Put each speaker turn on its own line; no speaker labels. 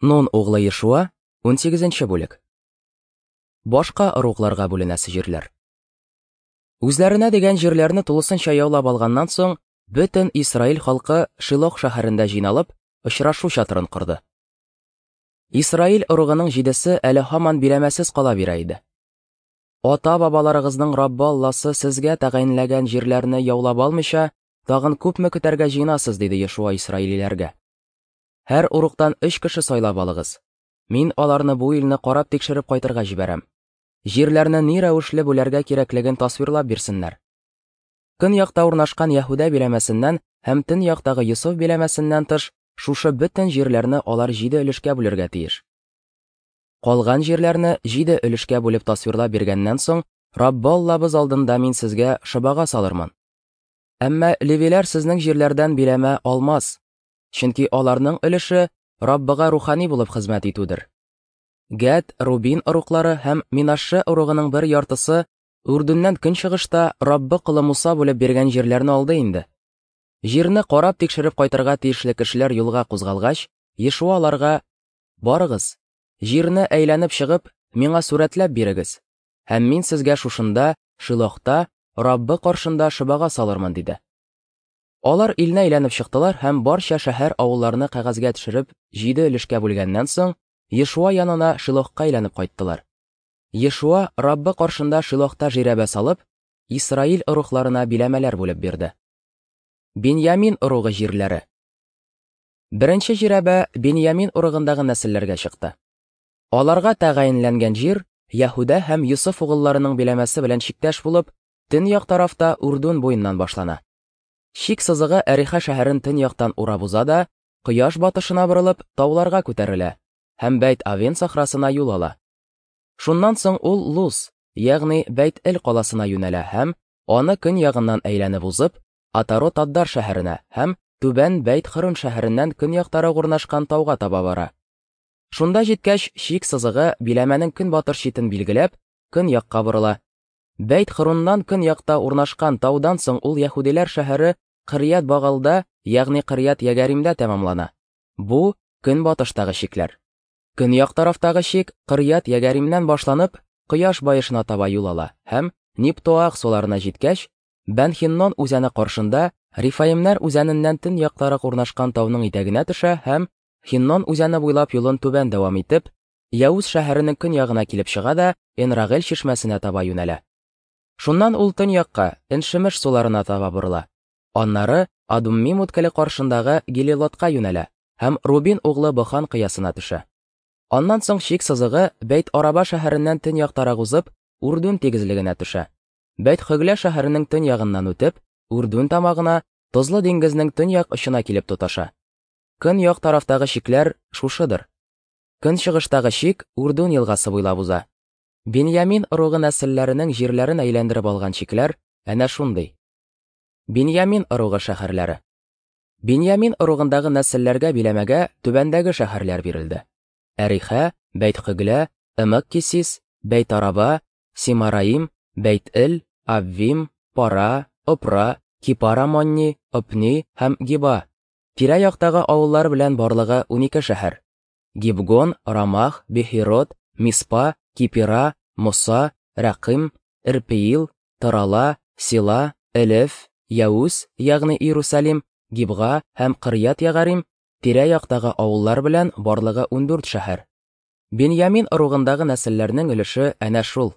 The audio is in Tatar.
Нун углы Ешуа, 18 бүлек. Башка ыругларга бүленәсе җирләр. Үзләренә дигән җирләрне тулысынча яулап алганнан соң, бөтен Исраил халкы Шилох шәһәрендә җыйналып, очрашу чатырын корды. Исраил ыругының җидесе әле һаман биләмәсез кала бирә иде. Ата-бабаларыгызның Раббы Алласы сезгә тәгаенләгән җирләрне яулап алмыйча, тагын күпме көтәргә җыенасыз, диде Ешуа исраилиләргә. Һәр уруктан өч кеше сайлап алыгыз. Мин аларны бу илне карап тикшереп кайтырга җибәрәм. Җирләрне ни рәвешле бүләргә кирәклеген тасвирлап бирсеннәр. Көньякта урнашкан Яһүдә биләмәсеннән һәм төньяктагы Йосыф биләмәсеннән тыш, шушы бөтен җирләрне алар җиде өлешкә бүлергә тиеш. Калган җирләрне җиде өлешкә бүлеп тасвирлап биргәннән соң, Раббы Аллабыз алдында мин сезгә шобага салырмын. Әмма левиләр сезнең җирләрдән биләмә алмас, чөнки аларның өлеше Раббыга рухани булып хезмәт итүдер. Гәд, Рубин ыруглары һәм Минашше ыругының бер яртысы Үрдүннән көнчыгышта Раббы колы Муса бүлеп биргән җирләрне алды инде. Җирне карап тикшереп кайтырга тиешле кешеләр юлга кузгалгач, Ешуа аларга: "Барыгыз, җирне әйләнеп чыгып, миңа сурәтләп бирегез, һәм мин сезгә шушында, Шилохта, Раббы каршында шобага салырмын", диде. Алар илне әйләнеп чыктылар һәм барча шәһәр-авылларны кәгазьгә төшереп, җиде өлешкә бүлгәннән соң, Ешуа янына Шилохка әйләнеп кайттылар. Ешуа Раббы каршында Шилохта жирәбә салып, Исраил ыругларына биләмәләр бүлеп бирде. Беньямин ыругы җирләре. Беренче жирәбә Беньямин ыругындагы нәселләргә чыкты. Аларга тәгаенләнгән җир Яһүдә һәм Йосыф угылларының биләмәсе белән чиктәш булып, төньяк тарафта Үрдүн буеннан башлана. Чик сызыгы Әриха шәһәрен төньяктан урап уза да, кояш батышына борылып, тауларга күтәрелә һәм Бәйт-Авен сахрасына юл ала. Шуннан соң ул Луз, ягъни Бәйт-Эл каласына юнәлә һәм, аны көньягыннан әйләнеп узып, Атарот-Аддар шәһәренә һәм Түбән Бәйт-Хөрун шәһәреннән көньяктарак урнашкан тауга таба бара. Шунда җиткәч, чик сызыгы, биләмәнең көнбатыш читен билгеләп, көньякка борыла. Бәйт-Хөруннан көньякта урнашкан таудан соң ул яһүдиләр шәһәре Кырьят-Багалда, ягъни Кырьят-Ягаримдә тәмамлана. Бу, көнбатыштагы чикләр. Көньяк тарафтагы чик Кырьят-Ягаримнән башланып, кояш баешына таба юл ала һәм, Ниптоах суларына җиткәч, Бән-Хиннон үзәне каршында Рифаимнәр үзәненнән төньяктарак урнашкан тауның итәгенә төшә һәм, Хиннон үзәне буйлап юлын түбән дәвам итеп, Яүз шәһәренең көньягына килеп чыга да Энрагель чишмәсенә таба юнәлә. Шуннан ул төньякка, Эншемеш суларына таба борыла. Аннары Адуммим үткеле каршындагы Гелилотка юнәлә һәм Рубин углы Бохан кыясына төшә. Аннан соң чик сызыгы Бәйт-Араба шәһәреннән төньяктарак узып, Үрдүн тигезлегенә төшә. Бәйт-Хөглә шәһәренең төньягыннан үтеп, Үрдүн тамагына, Тозлы диңгезнең төньяк очына килеп тоташа. Көньяк тарафтагы чикләр шушыдыр. Көнчыгыштагы чик Үрдүн елгасы буйлап уза. Беньямин ыругы нәселләренең җирләрен әйләндереп алган чикләр әнә шундый. Беньямин ыругы шәһәрләре. Беньямин ыругындагы нәселләргә биләмәгә түбәндәге шәһәрләр бирелде. Әрихә, Бәйт-Хөглә, Эмек-Кисис, Бәйт-Араба, Симараим, Бәйт-Эл, Аввим, Пара, Опра, Кипара-Монни, Опни һәм Гиба. Тирә-яктагы авыллар белән барлыгы 12 шәһәр. Гибгон, Рамах, Бехирот, Миспа, Кипира, Муса, Рәкыйм, Эрпеил, Тарала, Сила, Элеф, Яүс, ягъни Иерусалим, Гибга һәм Кырьят-Ягарим, тирә-яктагы авыллар белән барлыгы 14 шәһәр. Беньямин ыругындагы нәселләрнең өлеше әнә шул.